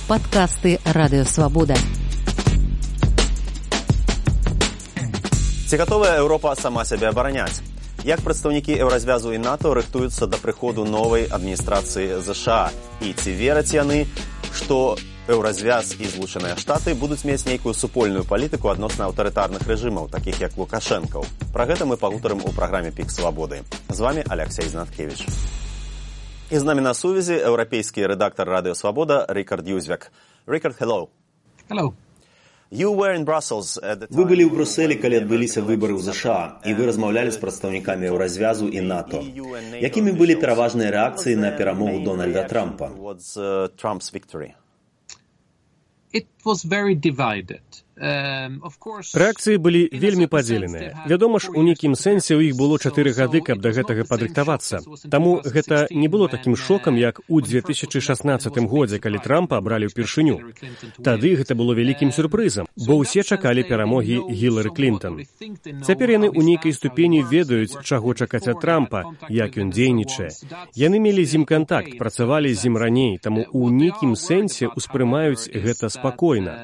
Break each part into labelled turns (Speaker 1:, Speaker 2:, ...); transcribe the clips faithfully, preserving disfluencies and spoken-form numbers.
Speaker 1: Падкасты Радыё Свабода.
Speaker 2: Ці гатовая Еўропа сама сябе абараняць? Як прадстаўнікі Еўразвязу і НАТО рыхтуюцца да прыходу новай адміністрацыі ЗША? І ці вераць яны, што Еўразвяз і Злучаныя Штаты будуць мець нейкую супольную палітыку адносна аўтарытарных рэжымаў, такіх як Лукашэнкаў? Пра гэта мы пагутарым у праграме «Пік Свабоды». З вамі Алексей Знаткевич. І з намі на сувязі еўрапейскі рэдактар Радыё Свабода Рикард Юзвяк. Рикард, hello.
Speaker 3: Hello.
Speaker 2: Вы былі ў Брюсселі, калі адбыліся выбары ў ЗША, і вы размаўлялі з прадстаўнікамі Еўразвязу і НАТО. Якімі былі пераважныя рэакцыі на перамогу Дональда Трампа?
Speaker 3: It was very divided.
Speaker 4: Рэакцыі былі вельмі падзеленыя. Вядома ж, у нейкім сэнсе ў іх было чатыры гады, каб да гэтага падрыхтавацца. Таму гэта не было такім шокам, як у две тысячы шаснаццатым годзе, калі Трампа абралі ўпершыню. Тады гэта было вялікім сюрпрызам, бо ўсе чакалі перамогі Гілары Клінтон. Цяпер яны ў нейкай ступені ведаюць, чаго чакаць ад Трампа, як ён дзейнічае. Яны мелі з ім кантакт, працавалі з ім раней, таму ў нейкім сэнсе ўспрымаюць гэта спакойна.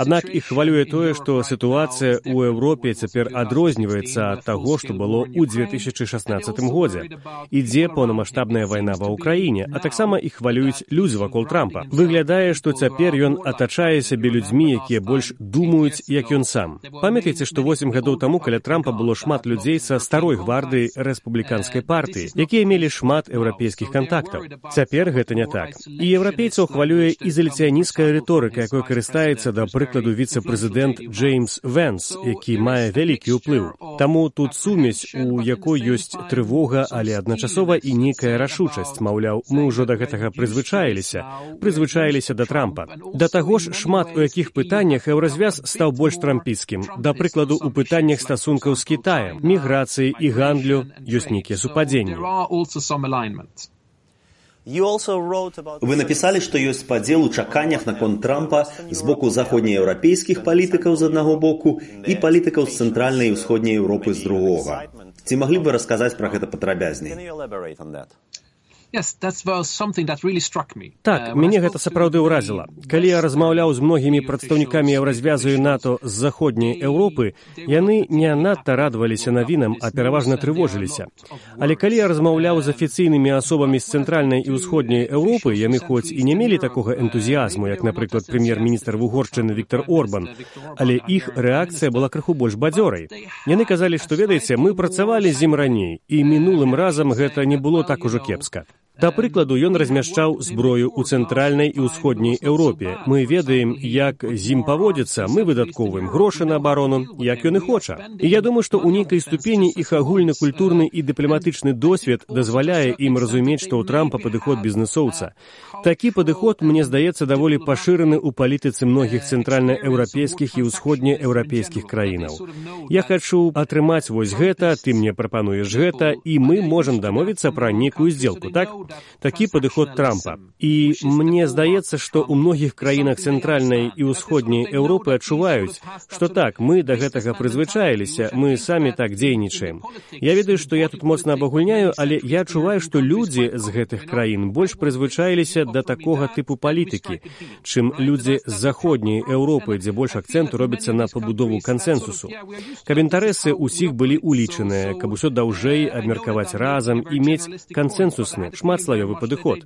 Speaker 4: Аднак іх хвалюе тое, што сітуацыя ў Еўропе цяпер адрозніваецца ад таго, што было ў две тысячы шаснаццатым годзе. Ідзе поўнамаштабная вайна ва ўкраіне, а таксама іх хвалююць людзі вакол Трампа. Выглядае, што цяпер ён атачае сябе людзьмі, якія больш думаюць, як ён сам. Памятаеце, што восем гадоў таму каля Трампа было шмат людзей са старой гвардыі рэспубліканскай партыі, якія мелі шмат еўрапейскіх кантактаў. Цяпер гэта не так. І еўрапейцаў хвалюе ізаляцыянісцкая рыторыка, якой карыстаецца, да прыкладу, віцэ-прэзідэнт Джеймс Вэнс, які мае вялікі ўплыў. Таму тут сумесь, у якой ёсць трывога, але адначасова і нейкая рашучасць. Маўляў, мы ўжо да гэтага прызвычаіліся, прызвычаіліся да Трампа. Да таго ж, шмат у якіх пытаннях Еўразвяз стаў больш трампіцкім. Да прыкладу, у пытаннях стасункаў з Кітаем, міграцыі і гандлю ёсць нейкія супадзенні.
Speaker 2: Вы напісалі, што ёсць падзел у чаканнях наконт Трампа з боку заходнееўрапейскіх палітыкаў з аднаго боку і палітыкаў з цэнтральнай і ўсходняй Еўропы з другога. Ці маглі б вы расказаць пра гэта падрабязней?
Speaker 4: Так, мяне гэта сапраўды ўразіла. Калі я размаўляў з многімі прадстаўнікамі Еўразвязу і НАТО з заходняй Еўропы, яны не надта радаваліся навінам, а пераважна трывожыліся. Але калі я размаўляў з афіцыйнымі асобамі з цэнтральнай і ўсходняй Еўропы, яны хоць і не мелі такога энтузіязму, як, напрыклад, прэм'ер-міністр Угоршчыны Віктор Орбан, але іх рэакцыя была крыху больш бадзёрай. Яны казалі, што, ведаеце, мы працавалі з ім раней, і мінулым разам гэта не было так ужо кепска. Да прыкладу, ён размяшчаў зброю ў цэнтральнай і ўсходняй Еўропе. Мы ведаем, як з ім паводзіцца, мы выдаткоўваем грошы на абарону, як ён і хоча. І я думаю, што ў нейкай ступені іх агульны культурны і дыпламатычны досвед дазваляе ім разумець, што ў Трампа падыход бізнэсоўца. Такі падыход, мне здаецца, даволі пашыраны ў палітыцы многіх цэнтральнаеўрапейскіх і ўсходнееўрапейскіх краінаў. Я хачу атрымаць вось гэта, ты мне прапануеш гэта, і мы можам дамовіцца пра нейкую здзелку, так? Такі падыход Трампа. І мне здаецца, што ў многіх краінах цэнтральнай і ўсходняй Еўропы адчуваюць, што так, мы да гэтага прызвычаіліся, мы самі так дзейнічаем. Я ведаю, што я тут моцна абагульняю, але я адчуваю, што людзі з гэтых краін больш прызвычаіліся да такога тыпу палітыкі, чым людзі з заходняй Еўропы, дзе больш акцэнту робіцца на пабудову кансэнсусу. Каб інтарэсы ўсіх былі улічаныя, каб усё даўжэй абмеркаваць разам і мець кансэнсусны, шматслаёвы падыход.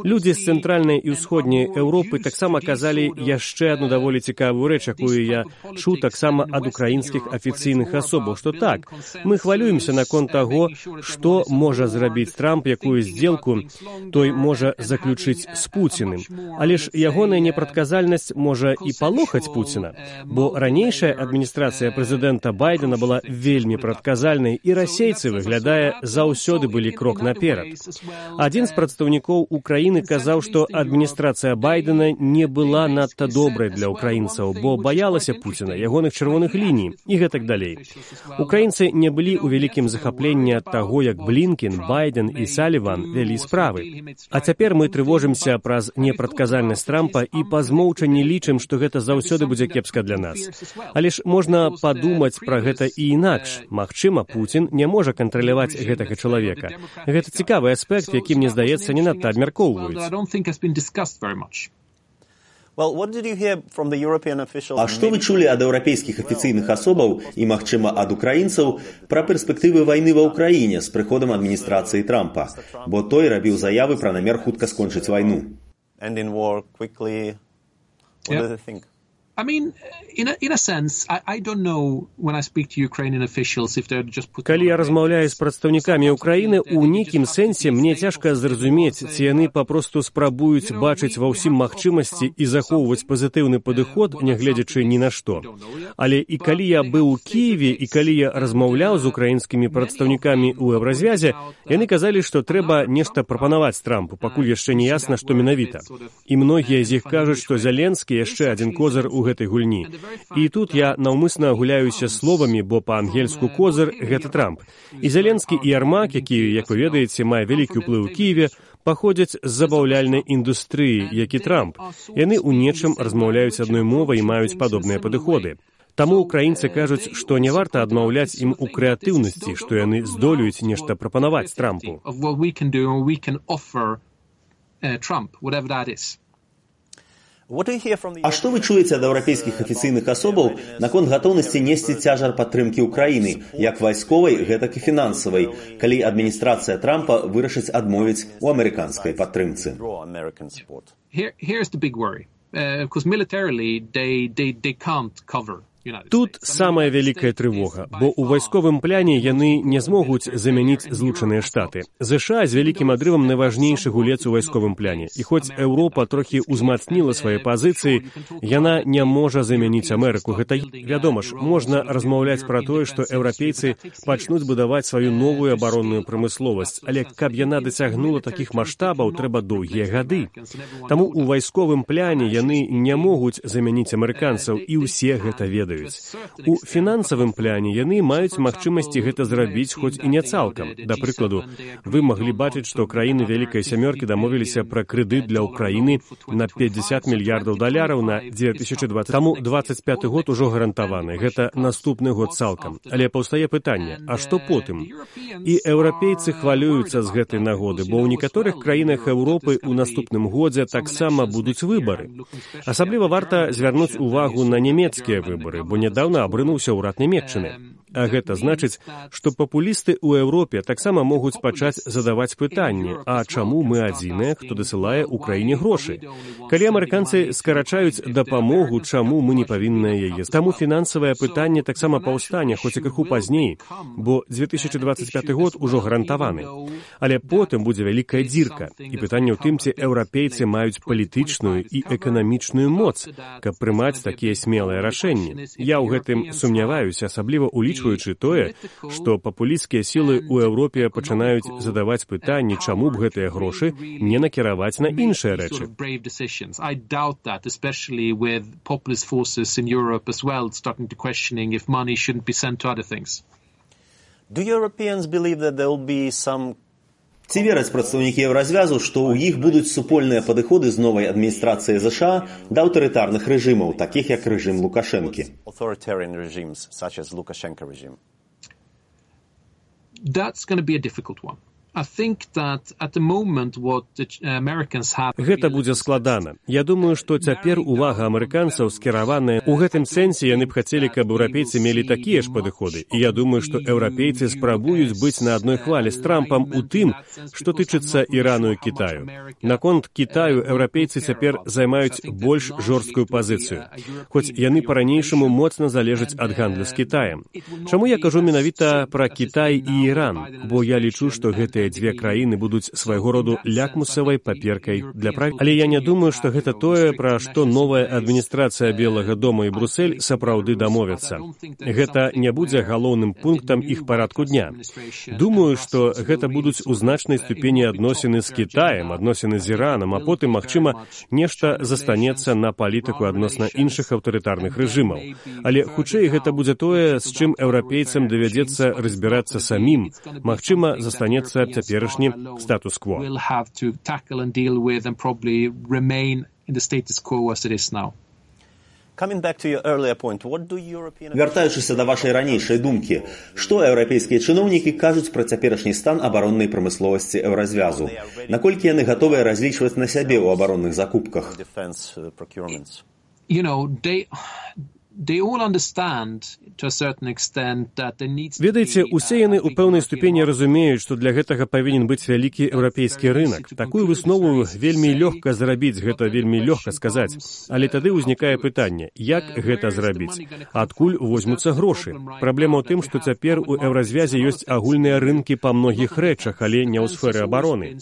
Speaker 4: Людзі з цэнтральнай і ўсходняй Еўропы таксама казалі яшчэ адну даволі цікавую рэч, якую я чуў таксама ад украінскіх афіцыйных асобаў, што так, мы хвалюемся наконт таго, што можа зрабіць Трамп, якую здзелку той можа заключыць з Пуціным. Але ж ягоная непрадказальнасць можа і палохаць Пуціна, бо ранейшая адміністрацыя прэзідэнта Байдена была вельмі прадказальнай, і расейцы, выглядае, заўсёды былі крок наперад. Адзін з прадстаўнікоў Украіны казаў, што адміністрацыя Байдена не была надта добрай для украінцаў, бо баялася Пуціна, ягоных чырвоных ліній і гэтак далей. Украінцы не былі ў вялікім захапленні ад таго, як Блінкен, Байден і Саліван вялі справы. А цяпер мы трывожымся праз непрадказальнасць Трампа і па змоўчанні лічым, што гэта заўсёды будзе кепска для нас. Але ж можна падумаць пра гэта і інакш. Магчыма, Пуцін не можа кантраляваць гэтага чалавека. Гэта цікавы аспект, які, мне здаецца, не надта абмяркоўваюць.
Speaker 2: А што вы чулі ад еўрапейскіх афіцыйных асобаў і, магчыма, ад украінцаў пра перспектывы вайны ва ўкраіне з прыходам адміністрацыі Трампа, бо той рабіў заявы пра намер хутка скончыць вайну?
Speaker 3: I mean, in a, in a sense, I, I don't know when I speak to Ukrainian officials if they're just putting...
Speaker 4: Калі я размаўляю з прадстаўнікамі Украіны, у нейкім сэнсе мне цяжка зразумець, ці яны папросту спрабуюць бачыць ва ўсім магчымасці і захоўваць пазітыўны падыход, нягледзячы ні на што. Але і калі я быў у Кіеве, і калі я размаўляў з украінскімі прадстаўнікамі ў Еўразвязе, яны казалі, што трэба нешта прапанаваць Трампу, пакуль яшчэ не ясна, што менавіта. І многія з іх кажуць, што Зеленскі яшчэ адзін козыр у гэтай гульні. І тут я наўмысна гуляюся словамі, бо па-ангельску козыр — гэта Трамп. І Зеленскі і Ярмак, які, як вы ведаеце, мае вялікі ўплыў у Кіеве, паходзяць з забаўляльнай індустрыі, як і Трамп. Яны ў нечым размаўляюць адной мовай і маюць падобныя падыходы. Таму украінцы кажуць, што не варта адмаўляць ім у крэатыўнасці, што яны здолеюць нешта прапанаваць Трампу.
Speaker 2: А што вы чуеце ад еўрапейскіх афіцыйных асобаў наконт гатоўнасці несці цяжар падтрымкі ўкраіны, як вайсковай, гэтак і фінансавай, калі адміністрацыя Трампа вырашыць адмовіць у амерыканскай падтрымцы?
Speaker 4: Тут самая вялікая трывога, бо ў вайсковым пляне яны не змогуць замяніць Злучаныя Штаты. ЗША з вялікім адрывам найважнейшы гулец у вайсковым пляне. І хоць Еўропа трохі ўзмацніла свае пазіцыі, яна не можа замяніць Амерыку. Гэта, вядома ж, можна размаўляць пра тое, што еўрапейцы пачнуць будаваць сваю новую абаронную прамысловасць, але каб яна дасягнула такіх маштабаў, трэба доўгія гады. Таму ў вайсковым пляне яны не могуць замяніць амерыканцаў, і ўсе гэта ведаюць. У фінансавым пляне яны маюць магчымасці гэта зрабіць, хоць і не цалкам. Да прыкладу, вы маглі бачыць, што краіны Вялікай Сямёркі дамовіліся пра крэдыт для Ўкраіны на пятьдесят мільярдаў даляраў на две тысячи двадцатый. Таму двадцать пяты год ужо гарантаваны. Гэта наступны год цалкам. Але паўстае пытанне, а што потым? І еўрапейцы хвалююцца з гэтай нагоды, бо ў некаторых краінах Еўропы ў наступным годзе таксама будуць выбары. Асабліва варта звярнуць увагу на нямецкія выбары, бо нядаўна абрынуўся ўрад Нямецчыны. А гэта значыць, што папулісты ў Еўропе таксама могуць пачаць задаваць пытанне, а чаму мы адзіныя, хто дасылае ўкраіне грошы? Калі амерыканцы скарачаюць дапамогу, чаму мы не павінныя яе? Таму фінансавае пытанне таксама паўстане, хоць і крыху пазней, бо две тысячи двадцать пятый год ужо гарантаваны. Але потым будзе вялікая дзірка. І пытанне ў тым, ці еўрапейцы маюць палітычную і эканамічную моц, каб прымаць такія смелыя рашэнні. Я ў гэтым сумняваюся, асабліва улічваючы тое, што папулісцкія сілы ў Еўропе пачынаюць задаваць пытанні, чаму б гэтыя грошы не накіраваць на іншыя рэчы.
Speaker 2: Ці вераць прадстаўнікі Еўразвязу, што ў іх будуць супольныя падыходы з новай адміністрацыяй ЗША да аўтарытарных рэжымаў, такіх як рэжым Лукашэнкі?
Speaker 3: That's going to be a difficult one. I think that at the moment what the Americans have...
Speaker 4: Гэта будзе складана. Я думаю, што цяпер увага амерыканцаў скіраваная. У гэтым сэнсе яны б хацелі, каб еўрапейцы мелі такія ж падыходы. І я думаю, што еўрапейцы спрабуюць быць на адной хвалі з Трампам у тым, што тычыцца Ірану і Кітаю. Наконт Кітаю еўрапейцы цяпер займаюць больш жорсткую пазіцыю. Хоць яны па-ранейшаму моцна залежаць ад гандлю з Кітаем. Чаму я кажу менавіта пра Кітай і Іран? Бо я лічу, што гэта дзве краіны будуць свайго роду лякмусавай паперкай для праві. Але я не думаю, што гэта тое, пра што новая адміністрацыя Белага дома і Брусэль сапраўды дамовяцца. Гэта не будзе галоўным пунктам іх парадку дня. Думаю, што гэта будуць у значнай ступені адносіны з Кітаем, адносіны з Іранам, а потым, магчыма, нешта застанецца на палітыку адносна іншых аўтарытарных рэжымаў. Але хутчэй гэта будзе тое, з чым еўрапейцам давядзецца разбірацца самім. Магчыма, застанецца цяперашні статус-кво.
Speaker 2: Вяртаючыся да вашай ранейшай думкі, што еўрапейскія чыноўнікі кажуць пра цяперашні стан абароннай прамысловасці еўразвязу? Наколькі яны гатовыя разлічваць на сябе ў абаронных закупках?
Speaker 3: You know, they... They all understand, to a certain extent, that there needs to be...
Speaker 4: Ведаеце, усе яны ў пэўнай ступені разумеюць, што для гэтага павінен быць вялікі еўрапейскі рынак. Такую выснову вельмі лёгка зрабіць, гэта вельмі лёгка сказаць. Але тады ўзнікае пытанне, як гэта зрабіць? Адкуль возьмуцца грошы? Праблема ў тым, што цяпер у еўразвязе ёсць агульныя рынкі па многіх рэчах, але не ў сферы абароны.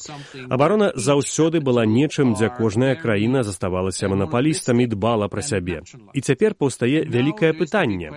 Speaker 4: Абарона заўсёды была нечым, дзе кожная краіна заставалася манапалістам і дбала пра сябе. І цяпер паўстае вялікае пытанне,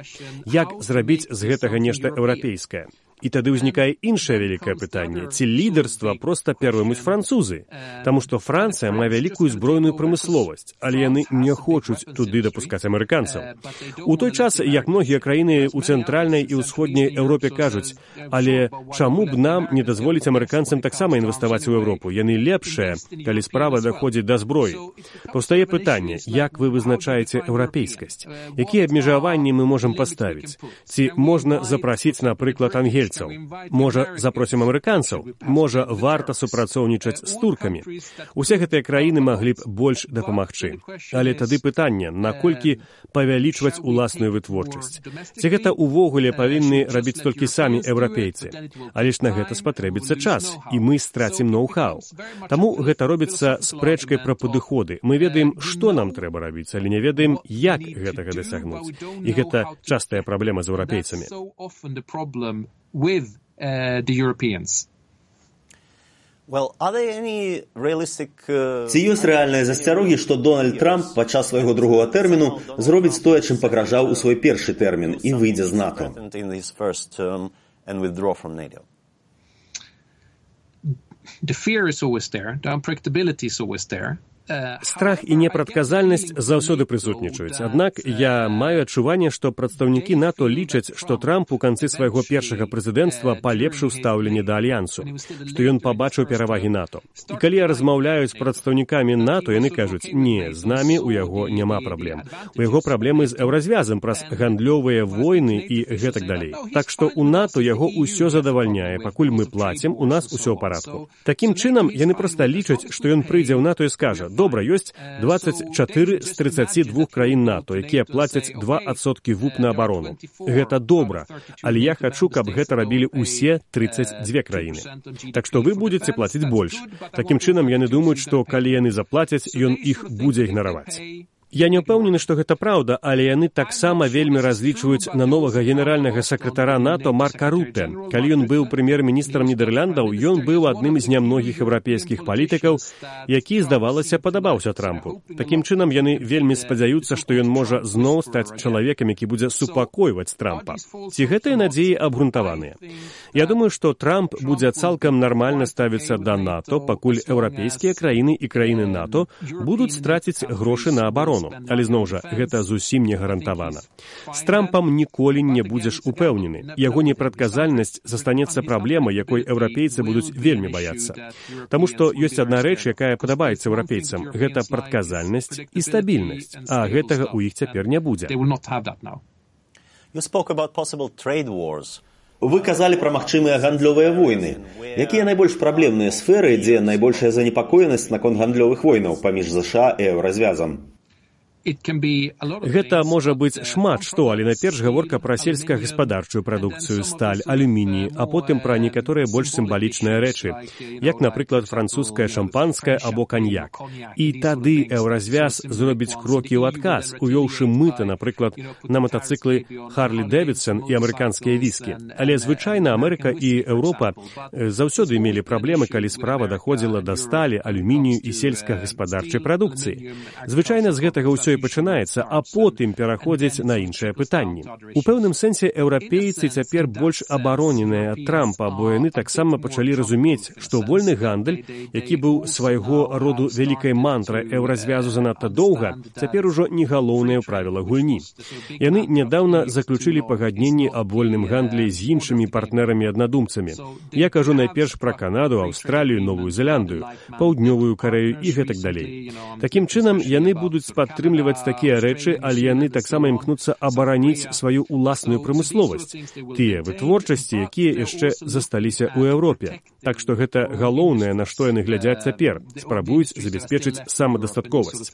Speaker 4: як зрабіць з гэтага нешта еўрапейскае. І тады ўзнікае іншае вялікае пытанне, ці лідарства проста пераймуць французы, таму што Францыя мае вялікую збройную прамысловасць, але яны не хочуць туды дапускаць амерыканцаў. У той час, як многія краіны ў цэнтральнай і ўсходняй Еўропе кажуць, але чаму б нам не дазволіць амерыканцам таксама інвеставаць у Еўропу? Яны лепшыя, калі справа даходзіць да зброі. Паўстае пытанне, як вы вызначаеце еўрапейскасць? Якія абмежаванні мы можам паставіць? Ці можна запрасіць, напрыклад, ангельцаў? Можа, запросім амерыканцаў? Можа, варта супрацоўнічаць з туркамі? Усе гэтыя краіны маглі б больш дапамагчы. Але тады пытанне, наколькі павялічваць уласную вытворчасць? Ці гэта ўвогуле павінны рабіць толькі самі еўрапейцы? Але ж на гэта спатрэбіцца час, і мы страцім ноу-хау. Таму гэта робіцца спрэчкай пра падыходы. Мы ведаем, што нам трэба рабіць, але не ведаем, як гэтага дасягнуць. І гэта частая праблема з еўрапейцамі.
Speaker 3: With uh, the Europeans.
Speaker 2: Well, are there any realistic, uh... Ці ёсць рэальныя засцярогі, што Дональд Трамп падчас свайго другога тэрміну зробіць тое, чым пагражаў у свой першы тэрмін і выйдзе з НАТО?
Speaker 3: The fear is always there. The unpredictability is always there.
Speaker 4: Страх і непрадказальнасць заўсёды прысутнічаюць. Аднак я маю адчуванне, што прадстаўнікі НАТО лічаць, што Трамп у канцы свайго першага прэзідэнцтва палепшыў стаўленне да альянсу, што ён пабачыў перавагі НАТО. І калі я размаўляю з прадстаўнікамі НАТО, яны кажуць, не, з намі у яго няма праблем. У яго праблемы з еўразвязам праз гандлёвыя войны і гэтак далей. Так што у НАТО яго ўсё задавальняе, пакуль мы плацім, у нас усё ў парадку. Такім чынам, яны проста лічаць, што ён прыйдзе ў НАТО і скажа, добра, ёсць дваццаць чатыры з трыццаці двух краін НАТО, якія плацяць два адсоткі ВУП на абарону. Гэта добра, але я хачу, каб гэта рабілі ўсе трыццаць дзве краіны. Так што вы будзеце плаціць больш. Такім чынам, яны думаюць, што калі яны заплацяць, ён іх будзе ігнараваць. Я не ўпэўнены, што гэта праўда, але яны таксама вельмі разлічваюць на новага генеральнага сакратара НАТО Марка Рутэ. Калі ён быў прэм'ер-міністрам Нідэрляндаў, ён быў адным з нямногіх еўрапейскіх палітыкаў, які, здавалася, падабаўся Трампу. Такім чынам, яны вельмі спадзяюцца, што ён можа зноў стаць чалавекам, які будзе супакойваць Трампа. Ці гэтыя надзеі абгрунтаваныя? Я думаю, што Трамп будзе цалкам нармальна ставіцца да НАТО, пакуль еўрапейскія краіны і краіны НАТО будуць страціць грошы на абарону. Але, зноў жа, гэта зусім не гарантавана. З Трампам ніколі не будзеш упэўнены. Яго непрадказальнасць застанецца праблемай, якой еўрапейцы будуць вельмі баяцца. Таму што ёсць адна рэч, якая падабаецца еўрапейцам. Гэта прадказальнасць і стабільнасць. А гэтага ў іх цяпер не будзе.
Speaker 2: Вы казалі пра магчымыя гандлёвыя войны. Якія найбольш праблемныя сферы, дзе найбольшая занепакоенасць наконт гандлёвых войнаў паміж ЗША і еўразвязам?
Speaker 4: Гэта можа быць шмат што, але найперш гаворка пра сельскагаспадарчую прадукцыю, сталь, алюміній, а потым пра некаторыя больш сімвалічныя рэчы, як, напрыклад, французскае шампанскае або каньяк. І тады еўразвяз зробіць крокі ў адказ, увёўшы мыта, напрыклад, на матацыклы Харлі Дэвідсон і амерыканскія віскі. Але звычайна Амерыка і Еўропа заўсёды мелі праблемы, калі справа даходзіла да сталі, алюмінію і сельскагаспадарчай прадукцыі. Звычайна з гэтага ўсё і пачынаецца, а потым пераходзіць на іншыя пытанні. У пэўным сэнсе еўрапейцы цяпер больш абароненыя ад Трампа, бо яны таксама пачалі разумець, што вольны гандаль, які быў свайго роду вялікай мантрай еўразвязу занадта доўга, цяпер ужо не галоўнае правіла гульні. Яны нядаўна заключылі пагадненні аб вольным гандлі з іншымі партнерамі-аднадумцамі. Я кажу найперш пра Канаду, Аўстралію, Новую Зеландыю, Паўднёвую Карэю і гэтак далей. Такім чынам, яны будуць падтрымліваць выдумліваць такія рэчы, але яны таксама імкнуцца абараніць сваю ўласную прамысловасць, тыя вытворчасці, якія яшчэ засталіся ў Еўропе. Так што гэта галоўнае, на што яны глядзяць цяпер, спрабуюць забяспечыць самадастатковасць.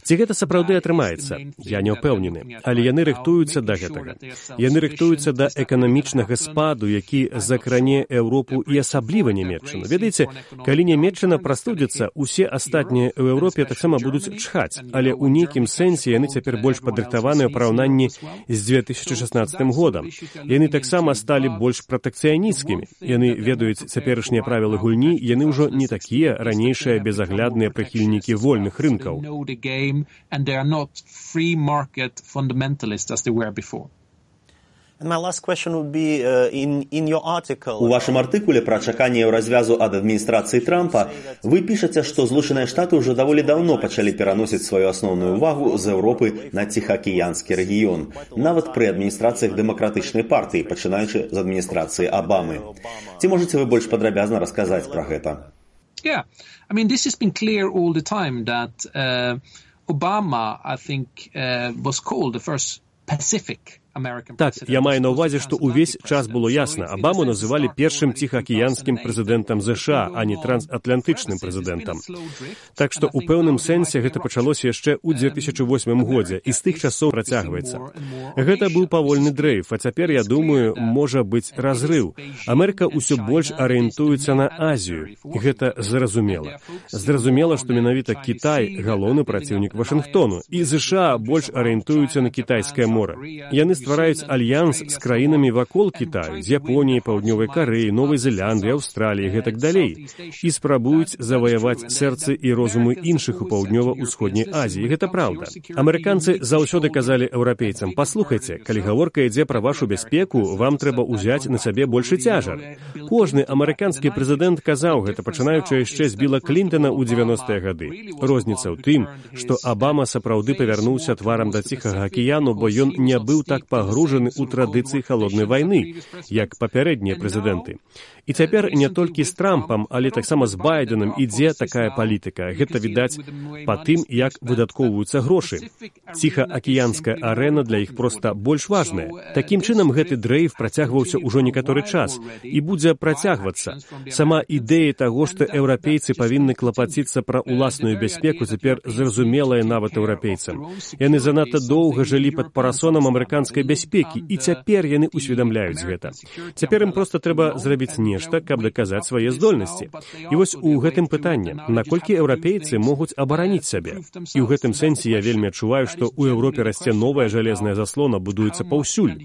Speaker 4: Ці гэта сапраўды атрымаецца? Я не ўпэўнены, але яны рыхтуюцца да гэтага. Яны рыхтуюцца да эканамічнага спаду, які закране Еўропу і асабліва Нямецчыну. Ведаеце, калі Нямецчына прастудзіцца, усе астатнія ў Еўропе таксама будуць чхаць, але ў нейкім сэнсе яны цяпер больш падрыхтаваныя ў параўнанні з дзве тысячы шаснаццатым годам. Яны таксама сталі больш пратэкцыянісцкімі. Яны ведаюць цяперашнія правілы гульні, яны ўжо не такія ранейшыя безаглядныя прыхільнікі вольных рынкаў.
Speaker 2: У вашым артыкуле пра чаканне развязу ад адміністрацыі Трампа вы пішаце, што Злучаныя Штаты ўжо даволі даўно пачалі пераносіць сваю асноўную ўвагу з Еўропы на Ціхаакіянскі рэгіён, нават пры адміністрацыях дэмакратычнай партыі, пачынаючы з адміністрацыі Абамы. Ці можаце вы больш падрабязна расказаць пра гэта?
Speaker 3: Yeah, I mean, this has been clear all the time that uh, Obama, I think, uh, was called the first Pacific.
Speaker 4: Так, я маю на ўвазе, што ўвесь час было ясна. Абаму называлі першым ціхаакіянскім прэзідэнтам ЗША, а не трансатлантычным прэзідэнтам. Так што ў пэўным сэнсе гэта пачалося яшчэ ў дзве тысячы восьмым годзе і з тых часоў працягваецца. Гэта быў павольны дрейф, а цяпер, я думаю, можа быць разрыў. Амерыка ўсё больш арыентуецца на Азію. І гэта зразумела. Зразумела, што менавіта Кітай галоўны праціўнік Вашынгтону, і ЗША больш арыентуюцца на Кітайскае мора. Яны ствараюць альянс з краінамі вакол Кітаю, з Японіяй, Паўднёвай Карэі, Новай Зеландыі, Аўстраліі, гэтак далей, і спрабуюць заваяваць сэрцы і розумы іншых у паўднёва-ўсходняй Азіі. Гэта праўда. Амерыканцы заўсёды казалі еўрапейцам: «Паслухайце, калі гаворка ідзе пра вашу бяспеку, вам трэба ўзяць на сябе большы цяжар». Кожны амерыканскі прэзідэнт казаў гэта, пачынаючы яшчэ з Біла Клінтана ў дзевяностыя гады. Розніца ў тым, што Абама сапраўды павярнуўся тварам да Ціхага акіяну, бо ён не быў так пагружаны ў традыцыі халоднай вайны, як папярэднія прэзідэнты. І цяпер не толькі з Трампам, але таксама з Байденам ідзе такая палітыка. Гэта відаць па тым, як выдаткоўваюцца грошы. Ціхаакіянская арэна для іх проста больш важная. Такім чынам, гэты дрейф працягваўся ўжо некаторы час і будзе працягвацца. Сама ідэя таго, што еўрапейцы павінны клапаціцца пра ўласную бяспеку, цяпер зразумелая нават еўрапейцам. Яны занадта доўга жылі пад парасонам амерыканскай бяспекі, і цяпер яны ўсведамляюць гэта. Цяпер ім проста трэба зрабіць нешта, каб даказаць свае здольнасці. І вось у гэтым пытанне, наколькі еўрапейцы могуць абараніць сябе. І ў гэтым сэнсе я вельмі адчуваю, што ў Еўропе расце новая жалезная заслона, будуецца паўсюль.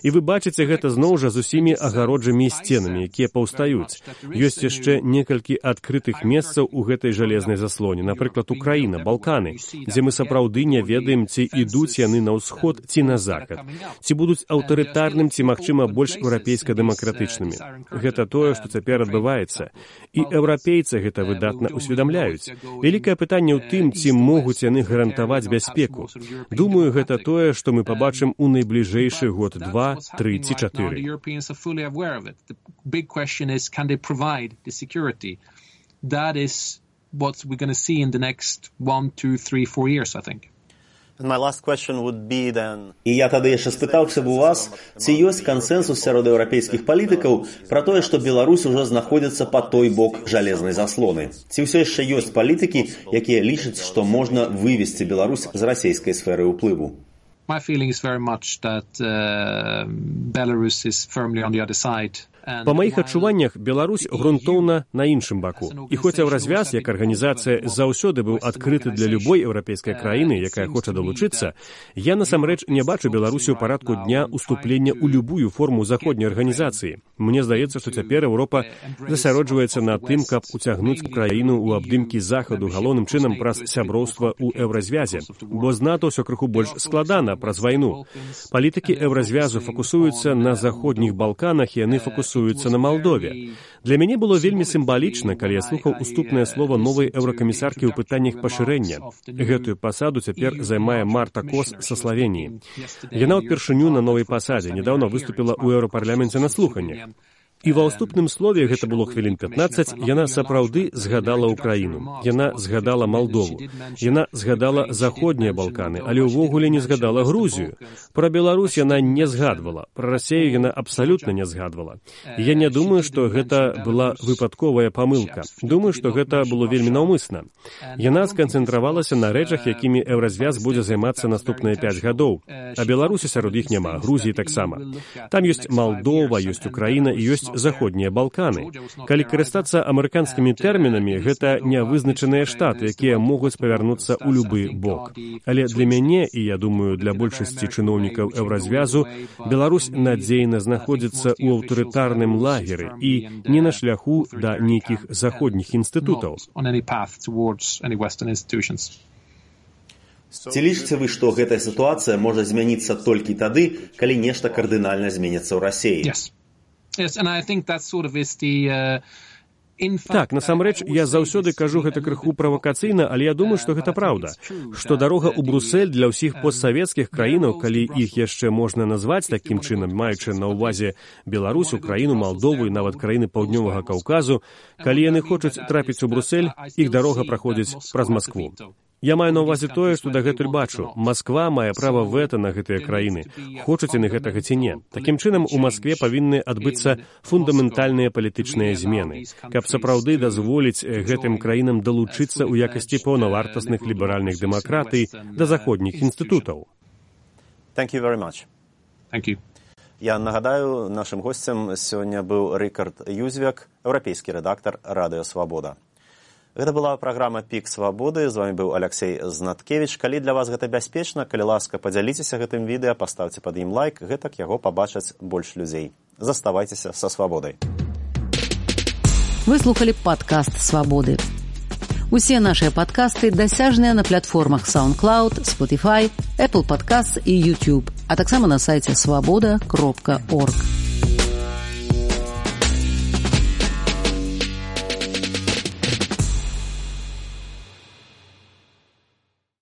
Speaker 4: І вы бачыце гэта зноў жа з усімі агароджамі і сценамі, якія паўстаюць. Ёсць яшчэ некалькі адкрытых месцаў у гэтай жалезнай заслоне, напрыклад, Украіна, Балканы, дзе мы сапраўды не ведаем, ці ідуць яны на ўсход ці на захад, ці будуць аўтарытарным, ці, магчыма, больш еўрапейска-дэмакратычнымі. Гэта тое, што цяпер адбываецца. І еўрапейцы гэта выдатна ўсведамляюць. Вялікае пытанне ў тым, ці могуць яны гарантаваць бяспеку. Думаю, гэта тое, што мы пабачым у найбліжэйшы год два, тры ці чатыры.
Speaker 2: І я тады яшчэ спытаўся б у вас, ці ёсць кансэнсус сярод еўрапейскіх палітыкаў пра тое, што Беларусь ужо знаходзіцца па той бок жалезнай заслоны. Ці ўсё яшчэ ёсць палітыкі, якія лічаць, што можна вывесці Беларусь з расійскай сферы ўплыву?
Speaker 3: My feeling is very much that uh, Belarus is firmly on the other side.
Speaker 4: Па маіх адчуваннях, Беларусь грунтоўна на іншым баку. І хоць Еўразвяз, як арганізацыя, заўсёды быў адкрыты для любой еўрапейскай краіны, якая хоча далучыцца, я насамрэч не бачу Беларусі ў парадку дня уступлення ў любую форму заходняй арганізацыі. Мне здаецца, што цяпер Еўропа засяроджваецца на тым, каб уцягнуць краіну ў абдымкі захаду галоўным чынам праз сяброўства ў Еўразвязе. Бо з НАТО ўсё крыху больш складана праз вайну. Палітыкі Еўразвязу фокусуюцца на заходніх Балканах, і яны фокусуюцца на Малдове. Для мяне было вельмі сімвалічна, калі я слухаў уступнае слова новай еўракамісаркі ў пытаннях пашырэння. Гэтую пасаду цяпер займае Марта Кос са Славеніі. Яна ўпершыню на новай пасадзе, нядаўна выступіла ў еўрапарламенце на слуханнях. І ва ўступным слове, гэта было хвілін пятнаццаць, яна сапраўды згадала Украіну. Яна згадала Малдову. Яна згадала Заходнія Балканы, але ўвогуле не згадала Грузію. Пра Беларусь яна не згадвала. Пра Расею яна абсалютна не згадвала. Я не думаю, што гэта была выпадковая памылка. Думаю, што гэта было вельмі наўмысна. Яна сканцэнтравалася на рэчах, якімі Еўразвяз будзе займацца наступныя пяць гадоў. А Беларусі сярод іх няма, Грузіі таксама. Там ёсць Малдова, ёсць Украіна і ёсць Заходнія Балканы. Калі карыстацца амерыканскімі тэрмінамі, гэта нявызначаныя штаты, якія могуць павярнуцца ў любы бок. Але для мяне, і я думаю, для большасці чыноўнікаў Еўразвязу, Беларусь надзейна знаходзіцца ў аўтарытарным лагеры і не на шляху да нейкіх заходніх інстытутаў.
Speaker 2: Ці лічыце вы, што гэтая сітуацыя можа змяніцца толькі тады, калі нешта кардынальна зменіцца ў Расіі?
Speaker 3: Yes. Yes, and I think that sort of is the, uh...
Speaker 4: Так, насамрэч, я заўсёды кажу гэта крыху правакацыйна, але я думаю, што гэта праўда. Што дарога ў Брусэль для ўсіх постсавецкіх краінаў, калі іх яшчэ можна назваць такім чынам, маючы на ўвазе Беларусь, Украіну, Малдову і нават краіны Паўднёвага Каўказу, калі яны хочуць трапіць у Брусэль, іх дарога праходзіць праз Маскву. Я маю на ўвазе тое, што дагэтуль бачу. Масква мае права вэта на гэтыя краіны. Хочуць яны гэтага ці не. Такім чынам, у Маскве павінны адбыцца фундаментальныя палітычныя змены, каб сапраўды дазволіць гэтым краінам далучыцца ў якасці паўнавартасных ліберальных дэмакратый да заходніх інстытутаў.
Speaker 2: Thank you very much.
Speaker 3: Thank you.
Speaker 2: Я нагадаю, нашым госцем сёння быў Рыкард Юзвяк, еўрапейскі рэдактар Радыё Свабода. Гэта была праграма «Пік свабоды». З вами быў Аляксей Знаткевіч. Калі для вас гэта бяспечна, калі ласка, падзяліцеся гэтым відэа, паставце пад ім лайк, гэтак яго пабачаць больш людзей. Заставайцеся са свабодай.
Speaker 1: Вы слухали падкаст «Свабоды». Усе нашыя падкасты дасяжныя на платформах SoundCloud, Spotify, Apple Podcasts і YouTube, а таксама на сайце свабода кропка орг.